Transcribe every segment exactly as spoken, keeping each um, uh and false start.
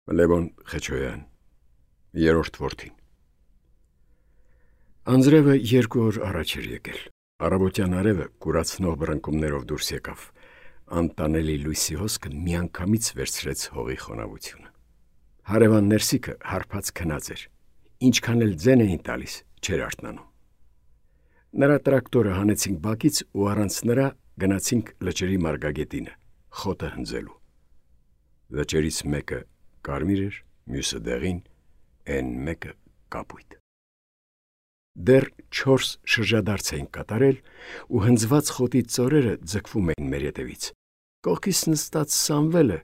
Լևոն Խեչոյան, երրորդ որդին։ Անձրևը երկու օր առաջ էր եկել։ Առավոտյան արևը կուրացնող բռնկումներով դուրս եկավ։ Անտանելի լույսի հոսքը միանգամից վերցրեց հողի խոնավությունը։ Հարևան ներսիկը հարբած քնած էր։ Ինչքան էլ ձեն էին տալիս, չէր արթնանում։ Նրա տրակտորը հանեցինք բակից ու առանց նրա գնացինք լճերի մարգագետինը, խոտը հնձելու։ Լճերից մեկը կարմիր էր, մյուսը դեղին, են մեկը կապույտ։ Դեռ չորս շրջադարձ էին կատարել ու հնձված խոտի ծորերը ձգվում էին մեր ետևից։ Կողքից նստած Սամվելը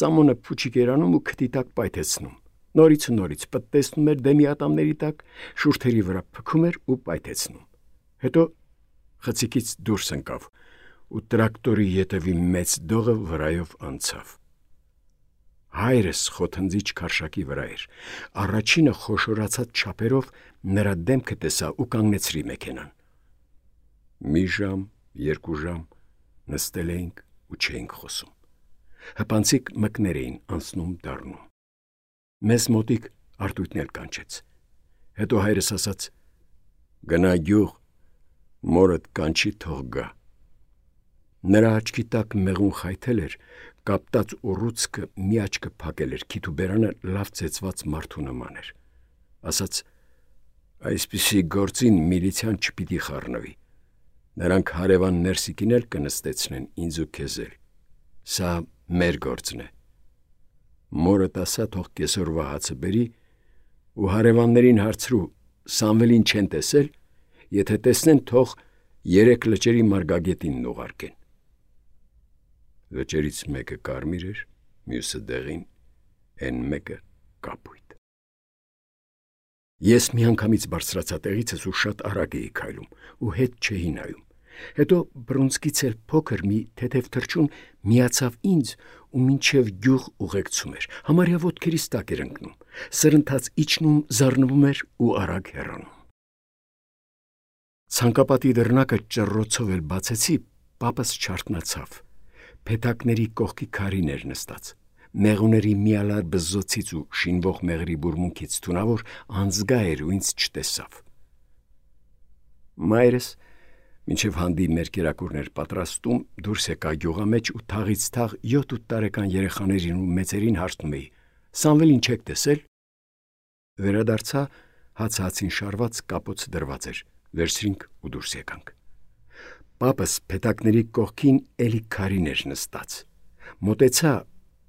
ծամոնը փուչիկ էր անում ու քթի տակ պայթեցնում։ Նորից ու նորից պտտեցնում էր դեմի ատամների տակ, շուրթերի վրա փքում էր ու պայթեցնում։ Հետո խցիկից դուրս ընկավ ու տրակտորի ետևի մեծ դողը վրայով անցավ։ Հայրս խոթնձիչ քարշակի վրա էր։ Առաջինը խոշորացած չափերով նրա դեմքը տեսա ու կանգնեցրի մեքենան։ Մի ժամ, երկու ժամ նստել էինք ու չէինք խոսում։ Հպանցիկ մկներ էին անցնում դառնում։ Մեզ մոտիկ արտույտն էլ կանչեց։ Հետո հայրս ասաց. «Գնա գյուղ, մորդ կանչի թող գա»։ Նրա աչքի տակ մեղուն խայթել էր, կապտած ուռուցքը մի աչքը փակել էր, քիթ ու բերանը լավ ծեծված մարդու նման էր։ Ասաց. «Այսպիսի գործին միլիցիան չպիտի խառնվի։ Նրանք հարևան ներսիկին էլ կնստեցնեն ինձ ու քեզ էլ։ Սա մեր գործն է։ Մորդ ասա թող կեսօրվա հացը բերի ու հարևաններին հարցրու Սամվելին չեն տեսել, եթե տեսնեն թող երեք լճերի մարգագետինն ուղարկեն»։ Լճերից մեկը կարմիր էր, մյուսը դեղին, են մեկը կապույտ։ Ես միանգամից բարձրացա տեղիցս ու շատ արագ էի քայլում ու հետ չէի նայում։ Հետո բռունցքից էլ փոքր մի թեթև թռչուն միացավ ինձ ու մինչև գյուղ ուղեկցում էր, համարյա ոտքերիս տակ էր ընկնում, սրընթաց իջնում, զառնվում էր ու արագ հեռանում։ Ցանկապատի դռնակը ճռռոցով էլ բացեցի, պապս չարթնացավ։ Փեթակների կողքի քարին էր նստած։ Մեղուների միալար բզզոցից ու շինվող մեղրի բուրմունքից թունավոր անձգա էր ու ինձ չտեսավ։ Մայրս մինչև հանդի մեր կերակուրներ պատրաստում դուրս եկա գյուղամեջ ու թաղից թաղ յոթ-ութ տարեկան երեխաներին ու մեծերին հարցնում էի. «Սամվելին չեք տեսել»։ Վերադարձա, հացը հացին շարված կապոց դրված էր, վերցրինք ու դուրս եկանք։ Պապս փեթակների կողքին էլի քարին էր նստած։ Մոտեցա,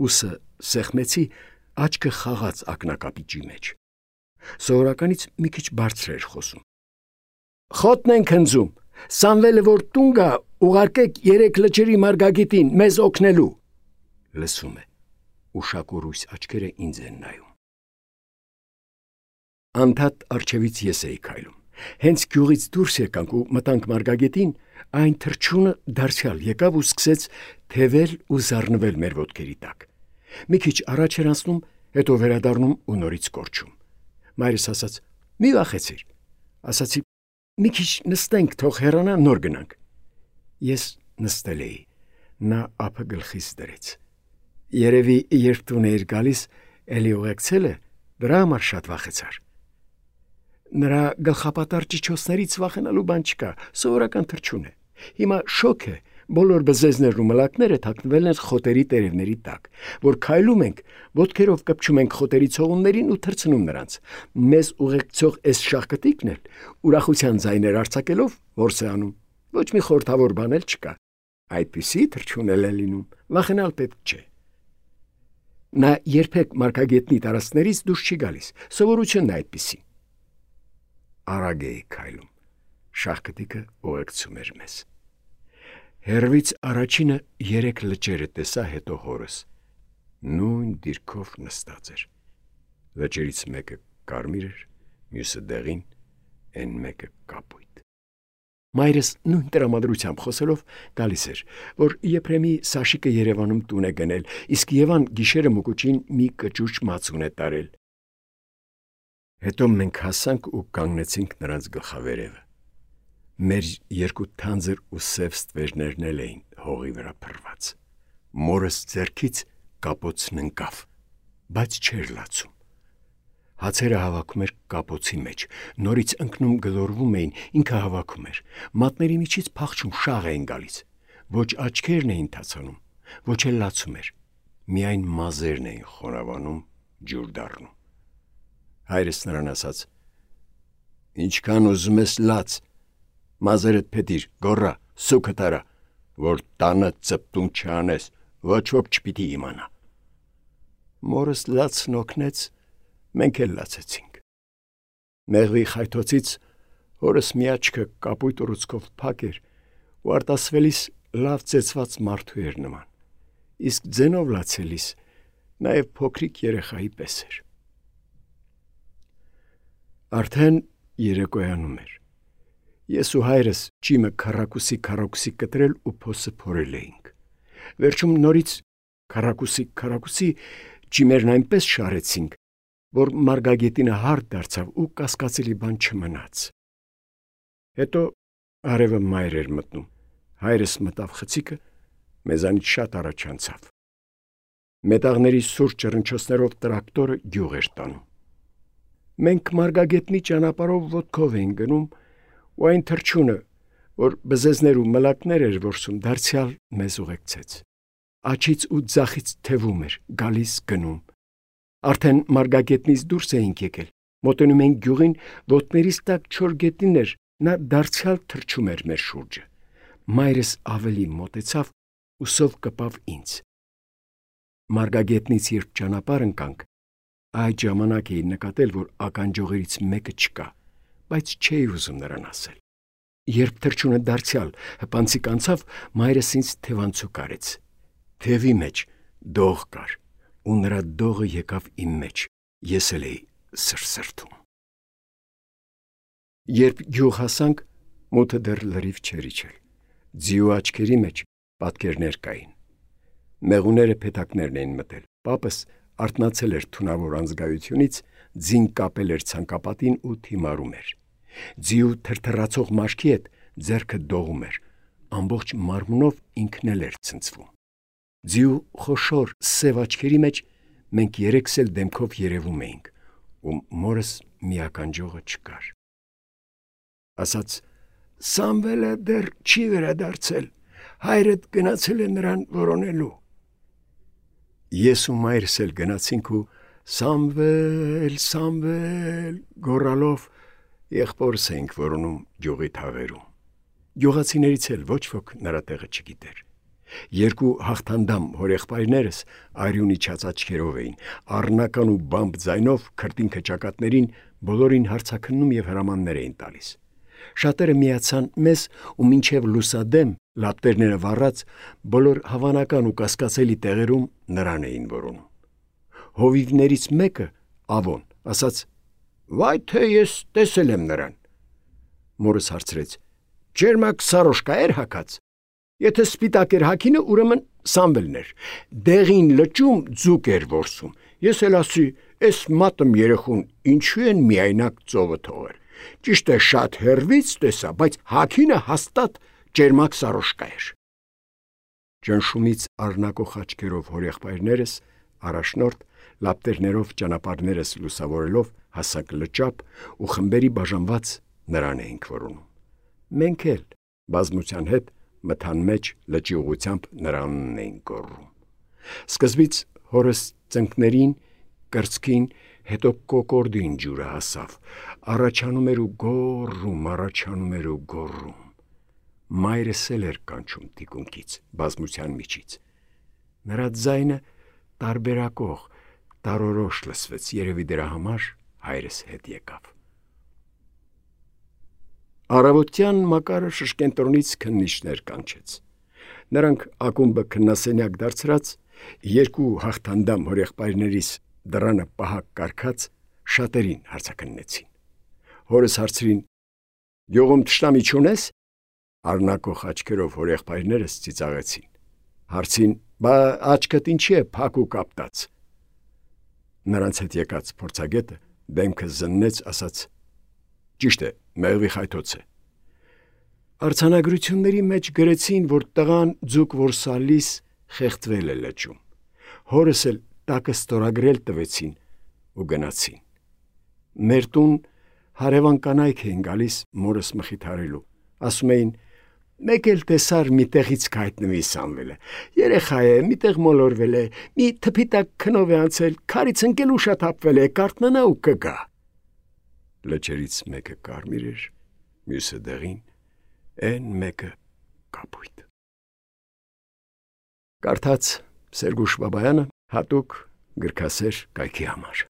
ուսը սեղմեցի, աչքը խաղաց ակնակապիճի մեջ։ Սովորականից մի քիչ բարձր էր խոսում։ «Խոտն ենք հնձում, Սամվելը որ տուն գա, ուղարկեք երեք լճերի մարգագետին մեզ օգնելու»։ Լսում է, ուշակուրույս աչքերը ինձ են նայում։ Անդադ առջևից ես էի քայլում։ Հենց գյուղից դուրս եկանք ու մտանք մարգագետին, այն թռչունը դարձյալ եկավ ու սկսեց թևել ու զառնվել մեր ոտքերի տակ։ Մի քիչ առաջ էր անցնում, հետո վերադառնում ու նորից կորչում։ Մայրս ասաց. «Մի վախեցիր»։ Ասացի. «Մի քիչ նստենք, թող հեռանա, նոր գնանք»։ Ես նստել էի։ Նա ափը գլխիս դրեց։ Երևի երբ տուն էիր գալիս, էլի ուղեկցել է, դրա համար շատ վախեցար։ Նրա գլխապատար ճիչոցներից վախենալու բան չկա, սովորական թռչուն է։ Հիմա շոկ է, բոլոր բզեզներն ու մլակները թաքնվել են խոտերի տերևների տակ, որ քայլում ենք, ոտքերով կպչում ենք խոտերի ցողուններին ու թռցնում նրանց։ Մեզ ուղեկցող էս շաղկտիկն էլ ուրախության ձայներ արձակելով որս է անում։ Ոչ մի խորթավոր բան էլ չկա։ Այդպիսի թռչուն էլ է լինում, վախենալ պետք չէ։ Նա երբեք մարգագետնի տարածքներից դուրս չի գալիս, սովորությունն է այդպիսի։ Արագ էի քայլում։ Շաղկտիկը ուղեկցում էր մեզ։ Հեռվից առաջինը երեք լճերը տեսա, հետո հորս։ Նույն դիրքով նստած էր։ Լճերից մեկը կարմիր էր, մյուսը դեղին, են մեկը կապույտ։ Մայրս նույն տրամադրությամբ խոսելով գալիս էր, որ Եփրեմի Սաշիկը Երևանում տուն է գնել, իսկ Եվան գիշերը մուկուճին մի կճուճ մածուն է տարել։ Հետո մենք հասանք ու կանգնեցինք նրանց գլխավերևը։ Մեր երկու թանձր ու սև ստվերներն էլ էին հողի վրա փռված։ Մորս ձեռքից կապոցն ընկավ։ բայց չէր լացում։ Հացերը հավաքում էր կապոցի մեջ, նորից ընկնում գլորվում էին, ինքը հավաքում էր, մատների միջից փախչում շաղ էին գալիս, ոչ աչքերն էին թացանում, ոչ էլ լացում էր, միայն մազերն էին խոնավանում, ջուր դառնում։ Հայրս նրան ասաց. «Ինչքան ուզում ես լաց, մազերդ փետիր, գոռա, սուքդ արա, որ տանը ծպտուն չանես, ոչ ոք չպիտի իմանա»։ Մորս լացն օգնեց, մենք էլ լացեցինք։ Մեղվի խայթոցից հորս մի աչքը կապույտ ուռուցքով փակ էր ու արտասվելիս լավ ծեծված մարդու էր նման, իսկ ձենով լացելիս նաև փոքրիկ երեխայի պես էր։ Արդեն երեկոյանում էր։ Ես ու հայրս ջիմը քառակուսի քառակուսի կտրել ու փոսը փորել էինք։ Վերջում նորից քառակուսի քառակուսի ջիմերն այնպես շարեցինք, որ մարգագետինը հարթ դարձավ ու կասկածելի բան չմնաց։ Հետո արևը մայր էր մտնում, հայրս մտավ խցիկը, մեզանից շատ առաջ անցավ։ Մետաղների սուր ճռնչոցներով տրակտորը գյուղ էր տանում։ Մենք մարգագետնի ճանապարհով ոտքով էինք գնում, ու այն թռչունը, որ բզեզներ ու մլակներ էր որսում, դարձյալ մեզ ուղեկցեց։ Աչից ու ձախից թևում էր, գալիս գնում։ Արդեն մարգագետնից դուրս էինք եկել, մոտենում էինք գյուղին, ոտներիս տակ չոր գետին էր, նա դարձյալ թռչում էր մեր շուրջը։ Մայրս ավելի մոտեցավ ու սով կպավ ինձ։ Մարգագետնից երբ ճանապարհ ընկանք, այդ ժամանակ էի նկատել, որ ականջողերից մեկը չկա, բայց չէի ուզում նրան ասել։ Երբ թռչունը դարձյալ հպանցիկ անցավ, մայրս ինձ թևանցուկ արեց։ Թևի մեջ դող կար, ու նրա դողը եկավ իմ մեջ, ես էլ էի սրսրթում։ Երբ գյուղ հասանք, մութը դեռ լրիվ չէր իջել։ Ձիու աչքերի մեջ պատկերներ կային։ Մեղուները փեթակներն էին մտել։ Պապս արթնացել էր թունավոր անզգայությունից, ձին կապել էր ցանկապատին ու թիմարում էր։ Ձիու թրթռացող մաշկի հետ ձեռքը դողում էր, ամբողջ մարմնով ինքն էլ էր ցնցվում։ Ձիու խոշոր սև աչքերի մեջ մենք երեքս էլ դեմքով երևում էինք, ու մորս մի ականջողը չկար։ Ասաց. «Սամվելը դեռ չի վերադարձել, հայրդ գնացել է նրան որոնելու»։ Ես ու մայրս էլ գնացինք ու «Սամվել, Սամվել» գոռալով եղբորս էինք որոնում գյուղի թաղերում։ Գյուղացիներից էլ ոչ ոք նրա տեղը չգիտեր։ Երկու հաղթանդամ հորեղբայրներս արյուն իջած աչքերով էին, առնական ու բամբ ձայնով քրտինքը ճակատներին բոլորին հարցաքննում և հրամաններ էին տալիս։ Շատերը միացան մեզ ու մինչև լուսադեմ, լապտերները վառած, բոլոր հավանական ու կասկածելի տեղերում նրան էին որոնում։ Հովիվներից մեկը, Ավոն, ասաց. «Վայ թե ես տեսել եմ նրան»։ Մորս հարցրեց. «Ջերմակ սարոշկա էր հագած»։ Եթե սպիտակ էր հագինը, ուրեմն Սամվելն էր։ Դեղին լճում ձուկ էր որսում։ Ես էլ ասի, «Էս մատմ երեխուն ինչու են միայնակ ծովը թողել»։ Ճիշտ է, շատ հեռվից տեսա, բայց հագինը հաստատ ջերմակ սարոշկա էր։ Ճնշումից առնակող աչքերով հորեղբայրներս, առաջնորդ, լապտերներով ճանապարհներս լուսավորելով հասանք լճապ ու խմբերի բաժանված նրան էինք որոնում։ Մենք էլ բազմության հետ մթան մեջ լճի ուղությամբ նրանն էինք գոռում։ Սկզբից հորս ծնկներին, կրծքին, հետո կոկորդին ջուրը հասավ, առաջանում էր ու գոռում, առաջանում էր ու գոռում։ Մայրս էլ էր կանչում թիկունքից, բազմության միջից։ Նրա ձայնը տարբերակող, տարորոշ լսվեց, երևի դրա համար հայրս հետ եկավ։ Առավոտյան Մակարը շշկենտրոնից քննիչներ կանչեց։ Նրանք ակումբը քննասենյակ դարձրած, երկու հաղթանդամ հորեղբայրներիս դռանը պահակ կարգած շատերին հարցաքննեցին։ Հորս հարցրին. «Գյուղում թշնամի չունես»։ Առնակող աչքերով հորեղբայրներս ծիծաղեցին։ Հարցին. «Բա աչքդ ինչի է փակ ու կապտած»։ Նրանց հետ եկած փորձագետը դեմքը զննեց, ասաց. «Ճիշտ է, մեղվի խայթոց է»։ Արձանագրությունների մեջ գրեցին, որ տղան ձուկ որսալիս խեղդվել է լճում։ Հորս էլ տակը ստորագրել տվեցին ու գնացին։ Մեր տուն հարևան կանայք էին գալիս մորս մխիթարելու, ասում էին. «Մեկ էլ տեսար մի տեղից կհայտնվի Սամվելը, երեխա է, մի տեղ մոլորվել է, մի թփի տակ քնով է անցել, քարից ընկել ու շաթափվել է, կարթնանա ու կգա»։ Լճերից մեկը կարմիր էր, մյուսը դեղին, այն մեկը կապույտ։ Կարդաց Սերգուշ Բաբայանը հատուկ գրքասեր կայքի համար։